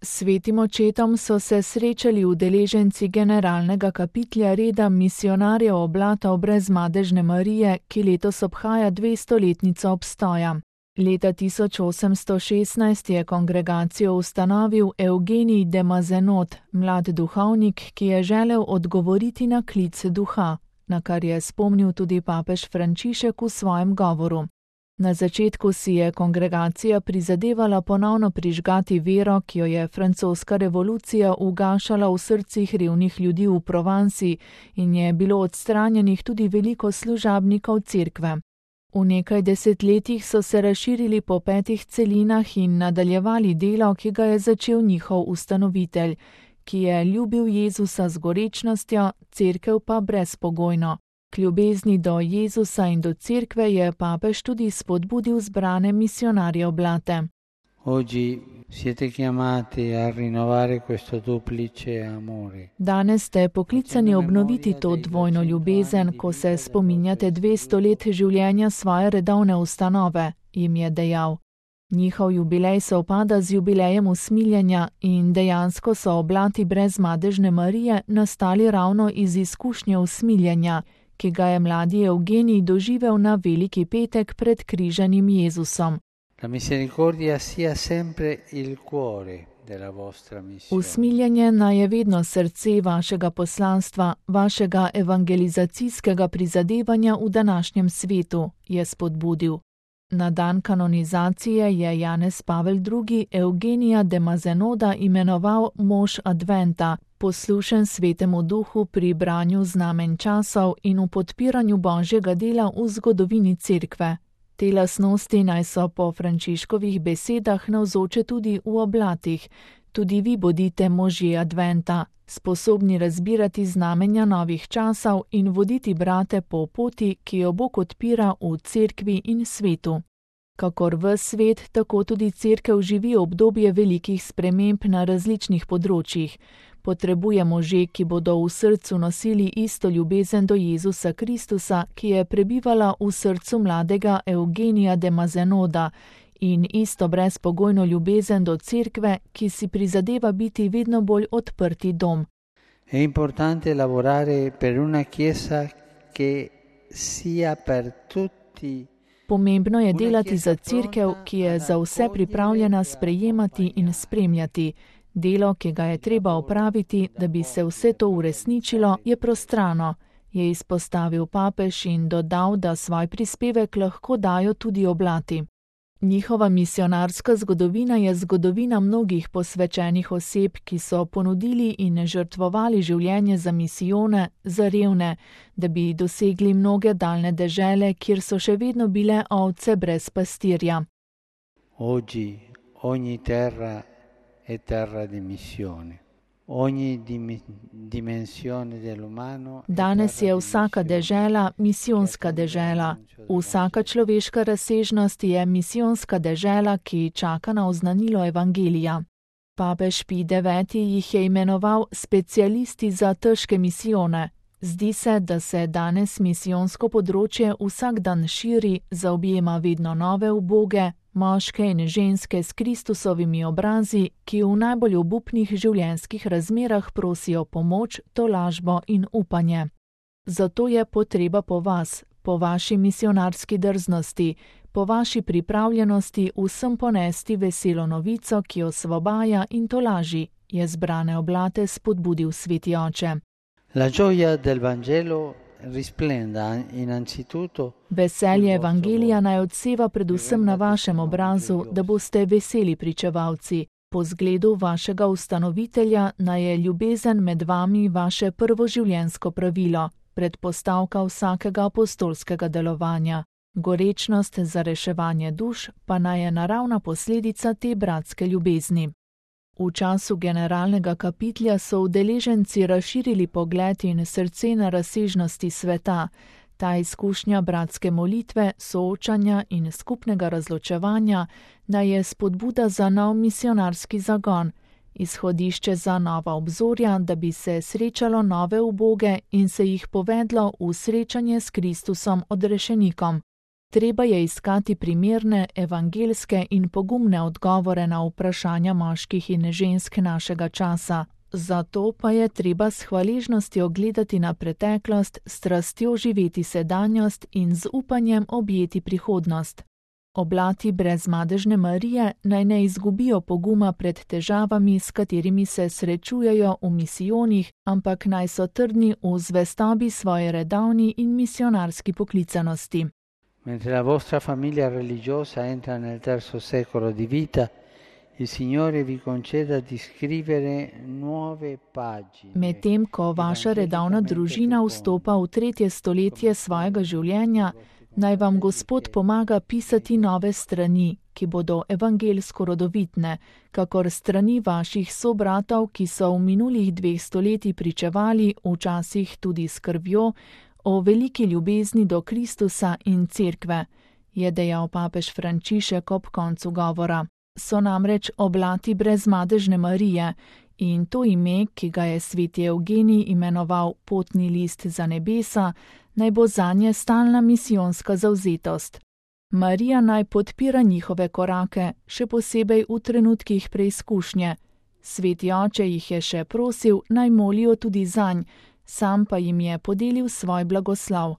S svetim očetom so se srečali udeleženci generalnega kapitlja reda misijonarjev Oblata brezmadežne Marije, ki letos obhaja 200-letnico obstoja. Leta 1816 je kongregacijo ustanovil Eugenij de Mazenod, mlad duhovnik, ki je želel odgovoriti na klic duha, na kar je spomnil tudi papež Frančišek v svojem govoru. Na začetku si je kongregacija prizadevala ponovno prižgati vero, ki jo je francoska revolucija ugašala v srcih revnih ljudi v Provansi in je bilo odstranjenih tudi veliko služabnikov cerkve. V nekaj desetletjih so se razširili po 5 celinah in nadaljevali delo, ki ga je začel njihov ustanovitelj, ki je ljubil Jezusa z gorečnostjo, cerkev pa brezpogojno. K ljubezni do Jezusa in do cerkve je papež tudi spodbudil zbrane misijonarje Oblate. Oggi siete chiamati a rinnovare questo duplice amore. Danes ste poklicani obnoviti to dvojno ljubezen, ko se spominjate 200 let življenja svoje redovne ustanove, jim je dejal. Njihov jubilej sovpada z jubilejem usmiljenja in dejansko so Oblati brezmadežne Marije nastali ravno iz izkušnje usmiljenja, ki ga je mladi Eugenij doživel na Veliki petek pred križanim Jezusom. La misericordia sia sempre il cuore della vostra missione. Usmiljenje naj je vedno srce vašega poslanstva, vašega evangelizacijskega prizadevanja v današnjem svetu, je spodbudil. Na dan kanonizacije je Janez Pavel II. Eugenija de Mazenoda imenoval mož Adventa, poslušen Svetemu Duhu pri branju znamenj časov in v podpiranju Božjega dela v zgodovini cerkve. Te lastnosti naj so po Frančiškovih besedah navzoče tudi v Oblatih. Tudi vi bodite možje Adventa, sposobni razbirati znamenja novih časov in voditi brate po poti, ki jo Bog odpira v cerkvi in svetu. Kakor ves svet, tako tudi cerkev živi obdobje velikih sprememb na različnih področjih. Potrebuje može, ki bodo v srcu nosili isto ljubezen do Jezusa Kristusa, ki je prebivala v srcu mladega Eugenija de Mazenoda, in isto brezpogojno ljubezen do cerkve, ki si prizadeva biti vedno bolj odprti dom. È importante lavorare per una chiesa che sia per tutti. Pomembno je delati za cerkev, ki je za vse pripravljena sprejemati in spremljati. Delo, ki ga je treba opraviti, da bi se vse to uresničilo, je prostrano, je izpostavil papež in dodal, da svoj prispevek lahko dajo tudi Oblati. Njihova misijonarska zgodovina je zgodovina mnogih posvečenih oseb, ki so ponudili in žrtvovali življenje za misijone, za revne, da bi dosegli mnoge daljne dežele, kjer so še vedno bile ovce brez pastirja. Oggi ogni terra è terra di missione. Ogni dimensione dell'umano. Danes je vsaka dežela misijonska dežela. Vsaka človeška razsežnost je misijonska dežela, ki čaka na oznanilo evangelija. Papež Pij IX. Jih je imenoval specialisti za težke misijone. Zdi se, da se danes misijonsko področje vsak dan širi, zaobjema vedno nove uboge, moške in ženske s Kristusovimi obrazi, ki v najbolj obupnih življenjskih razmerah prosijo pomoč, tolažbo in upanje. Zato je potreba po vas, po vaši misijonarski drznosti, po vaši pripravljenosti vsem ponesti veselo novico, ki osvobaja in tolaži, je zbrane Oblate spodbudil sveti oče. La gioia del Vangelo risplenda innanzitutto. Veselje evangelija naj odseva predvsem na vašem obrazu, da boste veseli pričevalci. Po zgledu vašega ustanovitelja naj je ljubezen med vami vaše prvo življenjsko pravilo, predpostavka vsakega apostolskega delovanja. Gorečnost za reševanje duš pa naj je naravna posledica te bratske ljubezni. V času generalnega kapitlja so udeleženci razširili pogled in srce na razsežnosti sveta. Ta izkušnja bratske molitve, soočanja in skupnega razločevanja naj je spodbuda za nov misijonarski zagon, izhodišče za nova obzorja, da bi se srečalo nove uboge in se jih povedlo v srečanje s Kristusom odrešenikom. Treba je iskati primerne, evangelske in pogumne odgovore na vprašanja moških in žensk našega časa. Zato pa je treba s hvaležnostjo gledati na preteklost, s strastjo živeti sedanjost in z upanjem objeti prihodnost. Oblati brezmadežne Marije naj ne izgubijo poguma pred težavami, s katerimi se srečujejo v misijonih, ampak naj so trdni v zvestobi svoje redovni in misionarski poklicanosti. Mentre la vostra famiglia religiosa entra nel terzo secolo di vita, il Signore vi conceda di scrivere nuove pagine. Medtem ko vaša redovna družina vstopa v 3. stoletje svojega življenja, naj vam Gospod pomaga pisati nove strani, ki bodo evangelsko rodovitne, kakor strani vaših sobratov, ki so v minulih 2 stoletjih pričevali, včasih tudi s krvjo, o veliki ljubezni do Kristusa in Cerkve, je dejal papež Frančišek ob koncu govora. So namreč oblati brezmadežne Marije in to ime, ki ga je sveti Evgenij imenoval potni list za nebesa, naj bo zanje stalna misijonska zavzetost. Marija naj podpira njihove korake, še posebej v trenutkih preizkušnje. Sveti oče jih je še prosil, naj molijo tudi zanj, sam pa jim je podelil svoj blagoslov.